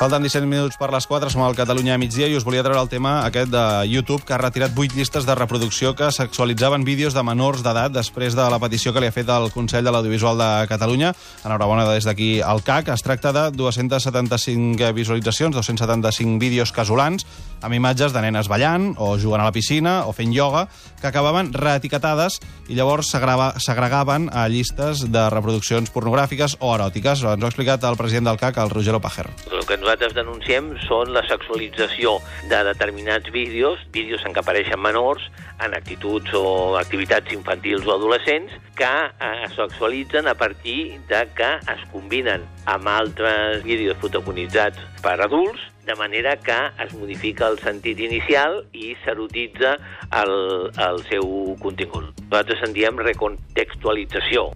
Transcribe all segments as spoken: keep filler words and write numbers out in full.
Falten disset minuts per les quatre, som al Catalunya a migdia i us volia treure el tema aquest de YouTube, que ha retirat vuit llistes de reproducció que sexualitzaven vídeos de menors d'edat després de la petició que li ha fet el Consell de l'Audiovisual de Catalunya. Enhorabona des d'aquí al C A C. Es tracta de dos-centes setanta-cinc visualitzacions, dos-cents setanta-cinc vídeos casolans, amb imatges de nenes ballant o jugant a la piscina o fent ioga, que acabaven reetiquetades i llavors s'agregaven a llistes de reproduccions pornogràfiques o eròtiques. Ens ho ha explicat el president del C A C, el Roger Pajer. El que nosaltres denunciem són la sexualització de determinats vídeos, vídeos en què apareixen menors, en actituds o activitats infantils o adolescents, que es sexualitzen a partir de que es combinen amb altres vídeos protagonitzats per adults, de manera que es modifica el sentit inicial i s'erotitza el, el seu contingut. Nosaltres en diem recontextualització.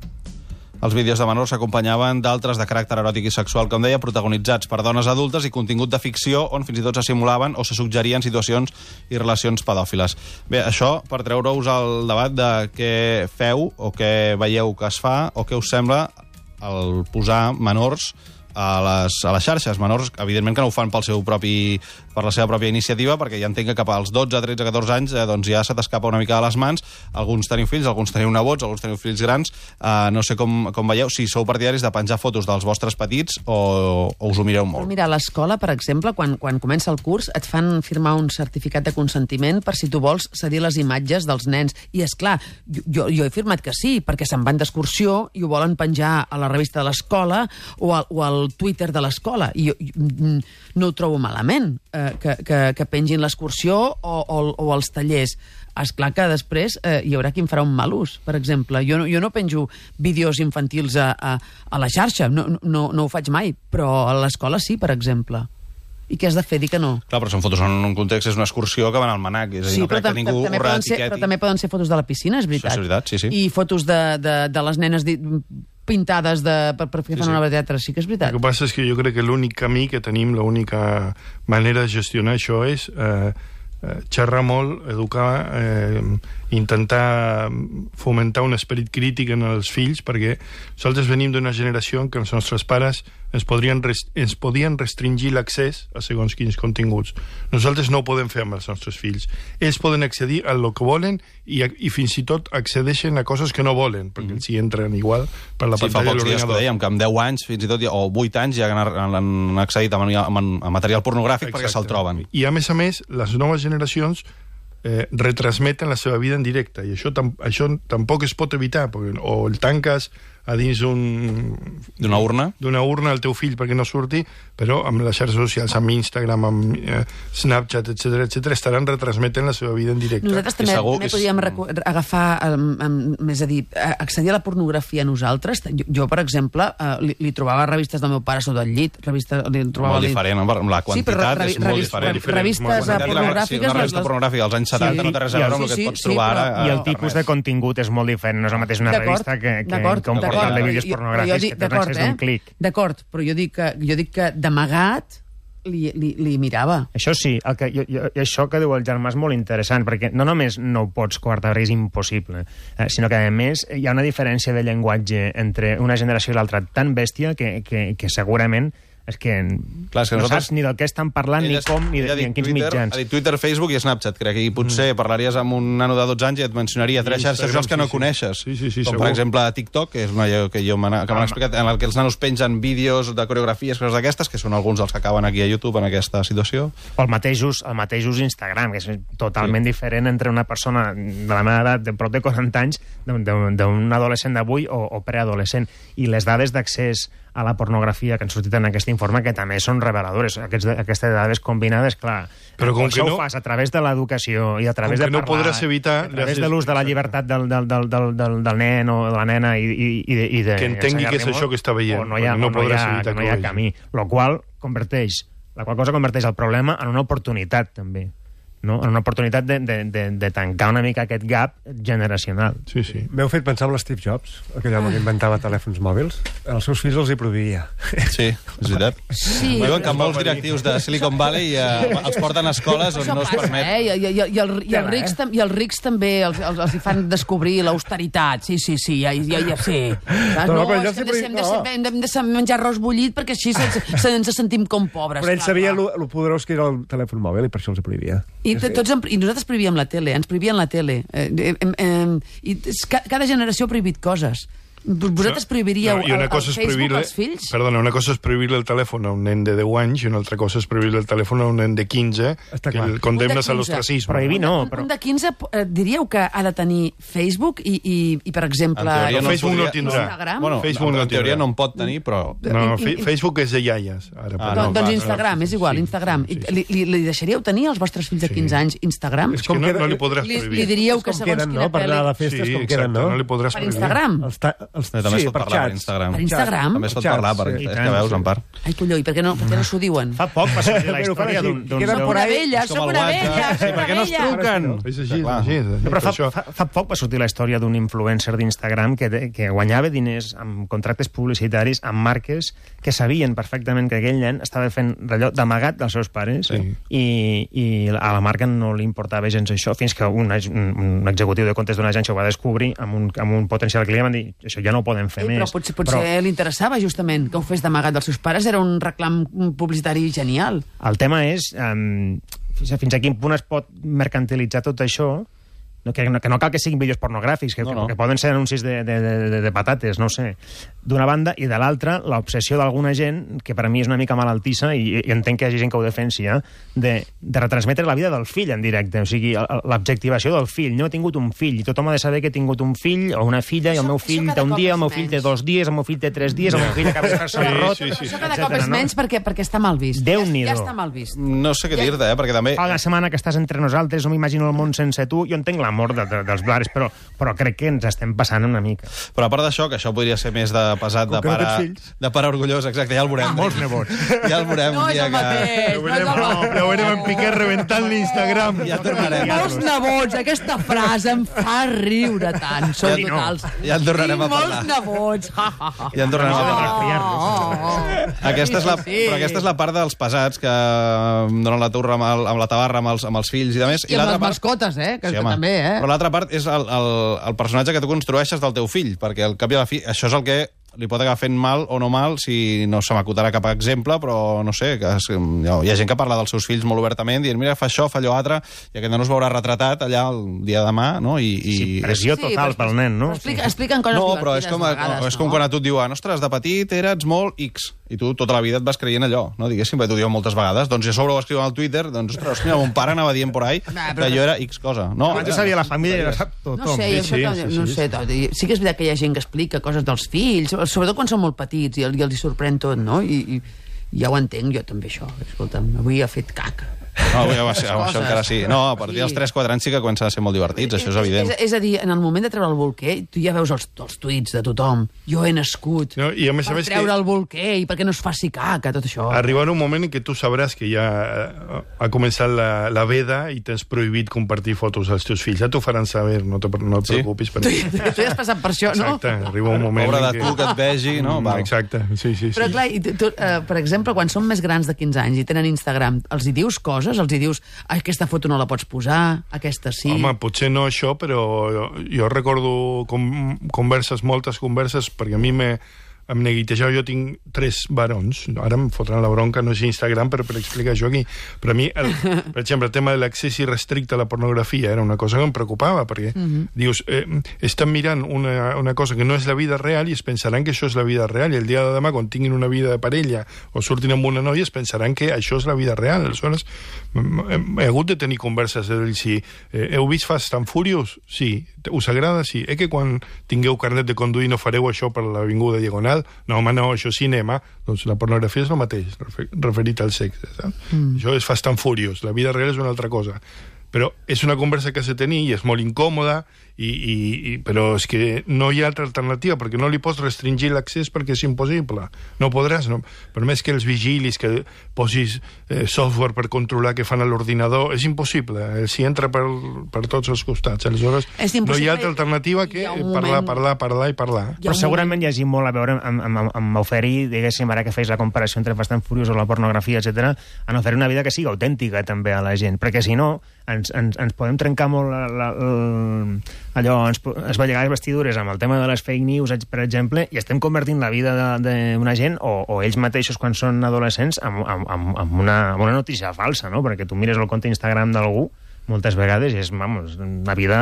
Els vídeos de menors s'acompanyaven d'altres de caràcter eròtic i sexual, com deia, protagonitzats per dones adultes i contingut de ficció on fins i tot se simulaven o se suggerien situacions i relacions pedòfiles. Bé, això per treure-us el debat de què feu o què veieu que es fa o què us sembla el posar menors a les, a les xarxes. Menors, evidentment que no ho fan pel seu propi, per la seva pròpia iniciativa, perquè ja entenc que cap als dotze, tretze, catorze anys eh, doncs ja se t'escapa una mica de les mans. Alguns teniu fills, alguns teniu nebots, alguns teniu fills grans. Eh, no sé com, com veieu, si sou partidaris de penjar fotos dels vostres petits o, o us ho mireu molt. Mira, a l'escola, per exemple, quan, quan comença el curs, et fan firmar un certificat de consentiment per si tu vols cedir les imatges dels nens. I, és clar, jo, jo he firmat que sí, perquè se'n van d'excursió i ho volen penjar a la revista de l'escola o, al, o al Twitter de l'escola. I jo, jo no ho trobo malament, eh, que, que, que pengin l'excursió o, o, o els tallers. Esclar que després eh, hi haurà qui en farà un mal ús, per exemple. Jo no, jo no penjo vídeos infantils a, a, a la xarxa, no, no, no ho faig mai, però a l'escola sí, per exemple. I què has de fer? Dir que no? Clar, però són fotos en un context, és una excursió que van al manac. És a dir, sí, no crec que ningú ho reetiqueti. Però també poden ser fotos de la piscina, és veritat. Això és veritat, sí, sí. I fotos de, de, de les nenes di, pintades de, per, per fer sí, una obra de teatre, sí que és veritat. El que passa és que jo crec que l'únic camí que tenim, l'única manera de gestionar això és eh, eh, xerrar molt, educar, eh, intentar fomentar un esperit crític en els fills, perquè nosaltres venim d'una generació en què els nostres pares ens podrien, ens podien restringir l'accés a segons quins continguts. Nosaltres no ho podem fer amb els nostres fills. Ells poden accedir a lo que volen i, i fins i tot accedeixen a coses que no volen, perquè mm. s'hi entren igual per la sí, pantalla de l'ordinador. Sí, fa pocs dies que dèiem, que amb deu anys, fins i tot, o vuit anys, ja han, han accedit a, a, a material pornogràfic. Exacte. Perquè se'l troben. I a més a més, les noves generacions eh, retransmeten la seva vida en directe, i això, tam això tampoc es pot evitar, perquè o el tanques a dins d'una urna d'una urna al teu fill perquè no surti, però amb les xarxes socials, amb Instagram, amb eh, Snapchat, etcètera, etcètera, estaran retransmetent la seva vida en directe. Nosaltres també, segur, també podíem és... agafar, um, més a dir, accedir a la pornografia nosaltres. Jo, jo per exemple, uh, li, li trobava revistes del meu pare sota el llit, revista, li trobava... Molt diferent, la quantitat sí, revi, és molt revis, diferent. diferent. Revistes pornogràfiques... Sí, una revista pornogràfica dels anys setanta sí, no té res a veure amb el que et pots trobar ara. I el tipus de contingut és molt diferent, no és el mateix una revista que, que, que un portal de vídeos pornogràfics que tenen accés d'un clic. D'acord, però jo dic que, jo dic que d'amagat li, li, li mirava. Això sí, el que, jo, jo, això que diu el Germà és molt interessant, perquè no només no ho pots coartar, perquè és impossible, eh, sinó que a més hi ha una diferència de llenguatge entre una generació i l'altra tan bèstia que, que, que segurament és que, Clar, és que no nosaltres... saps ni del què estan parlant, ni com, ni, de, ni en quins Twitter, mitjans. Ha dit Twitter, Facebook i Snapchat, crec, i potser mm. parlaries amb un nano de dotze anys i et mencionaria tres xarxes socials que no sí, coneixes. Sí, sí, sí, com, segur. per exemple, TikTok, que és una que jo m'han ah, explicat, en el que els nanos pengen vídeos de coreografies, coses d'aquestes, que són alguns dels que acaben aquí a YouTube en aquesta situació. O el mateix ús, el mateix ús Instagram, que és totalment sí. diferent entre una persona de la meva edat, de prop de quaranta anys, d'un adolescent d'avui o, o preadolescent. I les dades d'accés a la pornografia que han sortit en aquest informe, que també són reveladores. Aquests, aquestes dades combinades, clar, però com que no, ho fas a través de l'educació i a través de no parlar, evitar, a través de l'ús de la llibertat del, del, del, del, del, del nen o de la nena i, i, i de, i de que entengui què és això que està veient, no hi ha, no, no hi ha, evitar no hi ha camí, lo qual converteix, la qual cosa converteix el problema en una oportunitat també, no? En una oportunitat de, de, de, de tancar una mica aquest gap generacional. Sí, sí. M'heu fet pensar en l'Steve Jobs, aquell home que inventava telèfons mòbils. Els seus fills els hi prohibia. Sí, és veritat. Sí. Diuen que molts directius de Silicon Valley eh, els porten a escoles on Això no es passa, permet. eh? I, i, i, el, i, els rics, tam- I els rics també els, els, els hi fan descobrir l'austeritat. Sí, sí, sí, ja, ja, ja sí. Saps? No, No, però és jo que sempre- hem de, no. hem de, hem de menjar arròs bullit perquè així se, se, ens sentim com pobres. Però ell clar, sabia clar. el poderós que era el telèfon mòbil i per això els hi prohibia. I, t- tots, em- I nosaltres prohibíem la tele, ens prohibien la tele. Eh, eh, eh, eh, i es- ca- cada generació ha prohibit coses. Vosaltres prohibiríeu No, i una el, cosa el és Facebook prohibir-li- als fills? Perdona, una cosa és prohibir-li el telèfon a un nen de deu anys i una altra cosa és prohibir-li el telèfon a un nen de quinze Està que clar. el condemnes Un de a quinze. l'ostracisme. Prohibir no, Un, però... un de quinze, eh, diríeu que ha de tenir Facebook i, i, i per exemple... En teoria no Facebook no podria- tindrà. Instagram? Bueno, Facebook en, no en teoria tindrà. no en pot tenir, però... No, I- fe- i- Facebook és de iaies. Ara, Ah, No, no, doncs clar, Instagram, és igual, Sí, Instagram. sí, sí, I Li, li, li deixaríeu tenir als vostres fills de quinze anys Instagram? És que no, no li podràs Li, prohibir. li diríeu que Com segons queden, quina no? Per anar a la pel·li... festa, Sí, com exacte, queden, no? no li podràs Per prohibir. Instagram? Els ta... els... També es pot per parlar per xats. Instagram. Per Instagram? També es pot Xats, parlar, per, sí. és que veus, en part. Ai, colló, i per què no, per què no s'ho diuen? Fa poc va sortir la Però fan història així, d'un... d'un- queden d'un- por Una ahí. vella, És com soc el una WhatsApp. vella, Sí, soc per què una no es vella. truquen? És així, és Clar. així. és així. No, però fa, Això- fa, fa poc va sortir la història d'un influencer d'Instagram que, de- que guanyava diners amb contractes publicitaris amb marques que sabien perfectament que aquell nen estava fent allò d'amagat dels seus pares Sí. i, i a la marca no li importava gens això, fins que un, ag- un executiu de comptes d'una agència ho va descobrir amb un, amb un potencial client, van dir, això ja no ho podem fer Ei, més. però potser, potser li interessava justament que ho fes d'amagat dels seus pares, era un reclam publicitari genial. El tema és um, fins, a, fins a quin punt es pot mercantilitzar tot això, no, que, no, que no cal que siguin vídeos pornogràfics, que, No, no, no. que poden ser anuncis de, de, de, de patates, no ho sé. D'una banda, i de l'altra, l'obsessió d'alguna gent, que per a mi és una mica malaltissa, i, i entenc que hi hagi gent que ho defensi, eh, de, de retransmetre la vida del fill en directe, o sigui, el- el- l'objectivació del fill. No he tingut un fill, i tothom ha de saber que he tingut un fill o una filla, i el Això- meu això fill cada té un cop dia, és el meu fill té menys. dos dies, el meu fill té tres dies, el meu fill acaba de fer-se l'arrot, Sí, sí, sí. Això cada cop etcètera, és no? menys perquè, perquè està mal vist. Ja, Déu-n'hi-do. ja està mal vist. No sé què dir-te, eh, perquè també... Fa una setmana que estàs entre nosaltres, no m'imagino el món sense tu. Jo entenc l'amor de, de, dels blares, però, però crec que ens estem passant una mica. Però a part d'això, que això podria ser més de pesat de Com que no pare, tens fills. de pare orgullós, exacte, ja el veurem. Molts nebots. Ja el veurem No un és dia el que... mateix, no és el mateix. Ja ho veurem en Piqué reventant l'Instagram. Ja tornarem. Molts nebots, aquesta frase em fa riure tant. Som Ja- totals. ja en tornarem Tinc a parlar. molts nebots. Ja, ja, ja. Ja en tornarem a parlar. Oh, Aquesta és, la, Sí, sí, sí. però aquesta és la part dels pesats que donen la turra amb, el, amb la tabarra amb els, amb els fills i de més. I amb l'altra les mascotes, eh? Que, Sí, que home. també, eh? Però l'altra part és el, el, el personatge que tu construeixes del teu fill, perquè al cap i a la fi això és el que li pot acabar fent mal o no mal, si no se m'acutarà cap exemple, però no sé, que es, hi ha gent que parla dels seus fills molt obertament, dient, mira, fa això, fa allò altre, i aquest nen es veurà retratat allà el dia de demà, no? I, i Sí, pressió Sí, total però pel nen, no? però Explica, expliquen coses no, divertides però és com, a vegades, és com no? quan a tu et diuen, ostres, de petit eres molt X, i tu tota la vida et vas creient allò, no? Diguéssim, perquè t'ho diuen moltes vegades, doncs i a sobre ho escriuen al Twitter, doncs, ostres, mira, mon pare anava dient por ahí Ah, però- que jo era X cosa. No, Abans ho sabia la família i ara sap No tothom. sé, jo Sí, això, sí, no, sí, no sí. sé, tot. I sí que és veritat que hi ha gent que explica coses dels fills, sobretot quan són molt petits i, el- i els hi sorprèn tot, no? I, i, i ja ho entenc, jo també, això. Escolta'm, avui ha fet caca. No, avui, això, això Coses. encara sí. No, a partir dels Sí. tres quatre anys sí que comencen a ser molt divertits, això és evident. És, és a dir, en el moment de treure el bolquer, tu ja veus els, els tuits de tothom. Jo he nascut No, i a més a per més que- treure el bolquer i perquè no es faci caca, tot això. Arribarà un moment en què tu sabràs que ja eh, ha començat la, la veda i tens prohibit compartir fotos als teus fills. Ja t'ho faran saber, no, te, no et Sí? preocupis per Tu, això. tu ja has passat per això, no? Exacte, arriba un moment Pobre en de què... tu que et vegi, no? Mm, Val. Exacte, sí, sí, sí. Però clar, i tu, tu, eh, per exemple, quan són més grans de quinze anys i tenen Instagram, els hi dius coses? Els hi dius, aquesta foto no la pots posar, aquesta sí... Home, potser no això, però jo recordo com, converses, moltes converses, perquè a mi me, em neguitejava, jo tinc tres barons, ara em fotran la bronca, no és Instagram, però per explicar això aquí, però a mi, el, per exemple, el tema de l'accés irrestricte a la pornografia era una cosa que em preocupava, perquè Mhm. dius, eh, estan mirant una, una cosa que no és la vida real i es pensaran que això és la vida real, i el dia de demà, quan tinguin una vida de parella o surtin amb una noia, es pensaran que això és la vida real. Aleshores, he hagut de tenir converses de dir, si eh, heu vist Fast and Furious? Sí. Us agrada? Sí. Eh que quan tingueu carnet de conduir no fareu això per l'Avinguda Diagonal? No, home, no, això és cinema. Doncs la pornografia és el mateix, refer referit al sexe. Saps? Mm. Això és Fast and Furious. La vida real és una altra cosa. Però és una conversa que s'ha de tenir i és molt incòmoda I, i, i, però és que no hi ha altra alternativa, perquè no li pots restringir l'accés perquè és impossible. No podràs, no? Per més que els vigilis, que posis eh, software per controlar què fan a l'ordinador, és impossible. Els hi entra per, per tots els costats. Aleshores, no hi ha altra alternativa que parlar, moment... parlar, parlar i parlar. Però segurament hi hagi molt a veure amb, amb, amb oferir, diguéssim, ara que feis la comparació entre Fast and Furious o la pornografia, etcètera, en oferir una vida que sigui autèntica també a la gent, perquè si no ens, ens, ens podem trencar molt la, la, la, allò, ens, es va llegar les vestidures amb el tema de les fake news, per exemple, i estem convertint la vida d'una gent, o, o ells mateixos quan són adolescents, en, en, en, en, una, en una notícia falsa, no? Perquè tu mires el compte Instagram d'algú moltes vegades és, vamos, una vida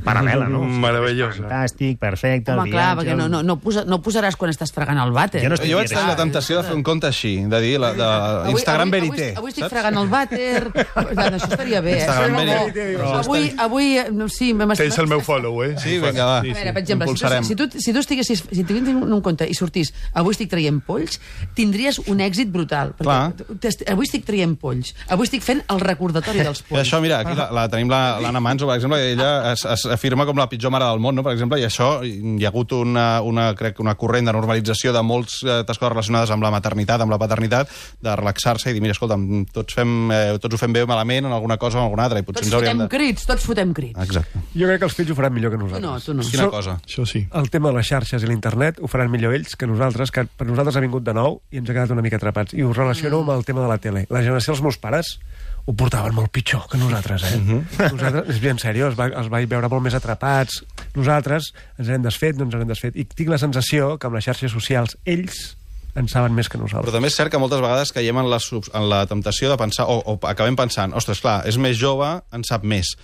paral·lela, no? Meravellosa. Fantàstic, perfecte, Home, el clar, viatge... perquè no, no, no, posa, no posaràs quan estàs fregant el vàter. Jo no Jo vaig tenir la temptació de fer un compte així, de dir, la, de Avui- Instagram avui, Verité. Avui, avui estic fregant el vàter. Doncs això estaria bé, eh? Instagram Però- Verité. però avui, avui, no, sí, m'hem Tens el meu follow, eh? Sí, vinga, va. A veure, per exemple, si Impulsarem. tu, si, tu, si tu estiguessis, si tinguessis un compte i sortís avui estic traient polls, tindries un èxit brutal. Perquè t'est- avui estic traient polls. Avui estic fent el recordatori dels I polls. això, mira, aquí la, la tenim la- l'Anna Manso, per exemple, i ella es, es afirma com la pitjor mare del món, no? Per exemple, i això, hi ha hagut una, una, crec, una corrent de normalització de moltes eh, coses relacionades amb la maternitat, amb la paternitat, de relaxar-se i dir, mira, escolta, tots, fem, eh, tots ho fem bé o malament en alguna cosa o en alguna altra, i potser Tots ens hauríem fotem de... crits, tots fotem crits. Exacte. Jo crec que els fills ho faran millor que Tu nosaltres. no, tu no. Quina So- cosa? Això sí. El tema de les xarxes i l'internet ho faran millor ells que nosaltres, que per nosaltres ha vingut de nou i ens ha quedat una mica atrapats. I ho relaciono mm. amb el tema de la tele. La generació dels meus pares ho portaven molt pitjor que nosaltres, eh? Uh -huh. Nosaltres, és ben seriós, els, va, els vaig veure molt més atrapats. Nosaltres ens hem desfet, no ens hem desfet. I tinc la sensació que amb les xarxes socials ells en saben més que Però nosaltres. també és cert que moltes vegades caiem en la, sub- en la temptació de pensar, o, o acabem pensant, ostres, clar, és més jove, en sap més.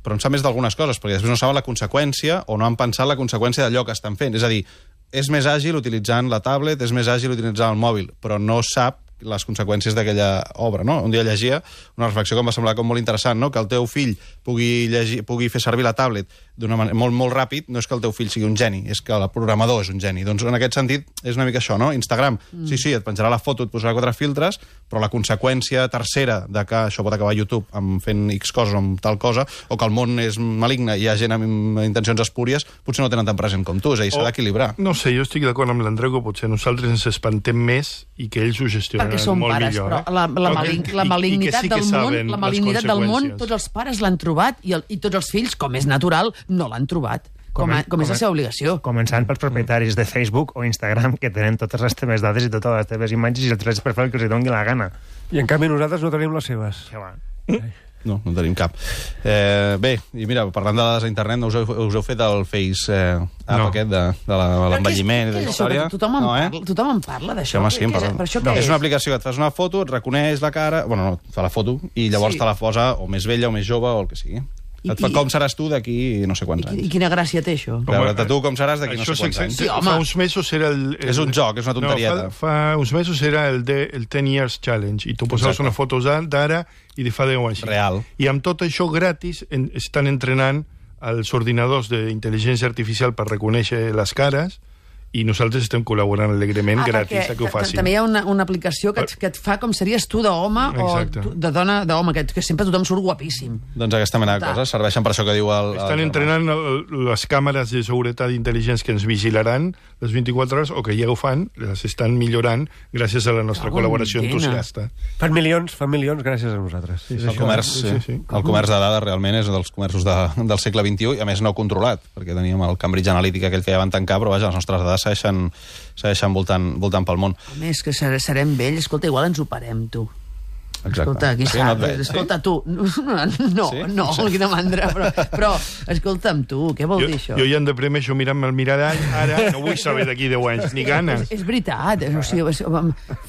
Però en sap més d'algunes coses, perquè després no saben la conseqüència o no han pensat la conseqüència d'allò que estan fent. És a dir, és més àgil utilitzant la tablet, és més àgil utilitzant el mòbil, però no sap les conseqüències d'aquella obra, no? Un dia llegia una reflexió que em va semblar com molt interessant, no? Que el teu fill pugui, llegir, pugui fer servir la tablet d'una manera molt, molt ràpid, no és que el teu fill sigui un geni, és que el programador és un geni. Doncs en aquest sentit és una mica això, no? Instagram, mm. sí, sí, et penjarà la foto, et posarà quatre filtres, però la conseqüència tercera de que això pot acabar a YouTube amb fent X coses o amb tal cosa, o que el món és maligne i hi ha gent amb intencions espúries, potser no tenen tan present com tu, és a dir, s'ha d'equilibrar. No sé, jo estic d'acord amb l'Andreu que potser nosaltres ens espantem més i que ells ho gestionen Perquè som molt pares, millor. però la, la, eh? malign, I- la i malignitat que sí que del món, saben la les malignitat del món, conseqüències. tots els pares l'han trobat i, el, i tots els fills, com és natural, no l'han trobat. Com, a, com és la seva obligació. Començant pels propietaris de Facebook o Instagram, que tenen totes les teves dades i totes les teves imatges i els drets per fer el que els doni la gana. I en canvi nosaltres no tenim les seves. Això va. No, no tenim cap. Eh, bé, i mira, parlant de dades a internet, no us heu, us heu fet el Face eh, app No. aquest de, de la- de l'envelliment i de Què és la això? història? Que Tothom en, no, eh? parla, tothom en parla d'això. Sí, home, sí, en Què és- parlem. Per això No, què és és? una aplicació que et fas una foto, et reconeix la cara... Bueno, no, et fa la foto i llavors Sí. te la posa o més vella o més jove o el que sigui. I- Et fa i- com seràs tu d'aquí no sé I, quants qui- I anys. quina gràcia té això? Veure't tu com seràs d'aquí no Això sé quants és anys. Sí, home. Fa uns mesos era el... el És un joc, és una tonterieta. No, fa, fa uns mesos era el, de, el ten years challenge i tu posaves Exacte. una foto d'ara i de fa deu anys. Real. I amb tot això gratis en, estan entrenant els ordinadors d'intel·ligència artificial per reconèixer les cares i nosaltres estem col·laborant alegrement Ah, gratis perquè a que ho ta- facin. També hi ha una, una aplicació que et, que et fa com series tu d'home o Exacte. tu, de dona d'home, que, que sempre tothom surt guapíssim. Doncs aquesta mena de Clar. coses serveixen per això que diu el... el Estan germà. entrenant el, les càmeres de seguretat intel·ligents que ens vigilaran les vint-i-quatre hores, o que ja ho fan, les estan millorant gràcies a la nostra Cago en col·laboració dena. entusiasta. Fan milions, fan milions gràcies a nosaltres. Sí, El comerç, Sí, sí, sí, sí. el comerç de dades realment és dels comerços de, del segle vint-i-u i a més no controlat, perquè teníem el Cambridge Analytica aquell que ja van tancar, però vaja, les nostres dades segueixen, segueixen voltant, voltant pel món. A més, que ser- serem vells, escolta, igual ens operem, tu. Exacte. Escolta, qui Sí, sap? no et veig, Escolta, tu. No, no, Sí? no, Sí. quina mandra, però, però escolta'm, tu, què vol Jo, dir això? jo ja em deprimeixo mirant-me al mirall, ara no vull saber d'aquí deu anys, ni ganes. És, és veritat, o sigui, és-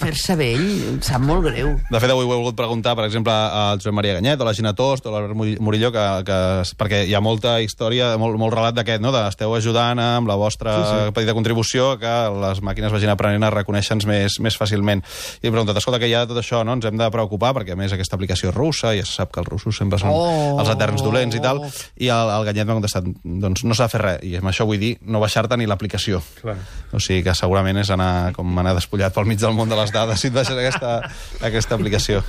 fer-se vell em sap molt greu. De fet, avui ho he volgut preguntar, per exemple, al Joan Maria Ganyet, o la Gina Tost, o l'Albert Murillo, que, que, perquè hi ha molta història, molt, molt relat d'aquest, no? De, esteu ajudant amb la vostra sí, sí. petita contribució que les màquines vagin aprenent a reconèixer-nos més, més fàcilment. I he preguntat, escolta, que hi ha tot això, no? Ens hem de preocupar, perquè a més aquesta aplicació russa, ja se sap que els russos sempre són Oh. els eterns dolents i tal, i el, el Ganyet m'ha contestat, doncs no s'ha de fer res, i amb això vull dir no baixar-te ni l'aplicació. Clar. O sigui que segurament és anar com anar despullat pel mig del món de les dades si et baixes aquesta, aquesta aplicació.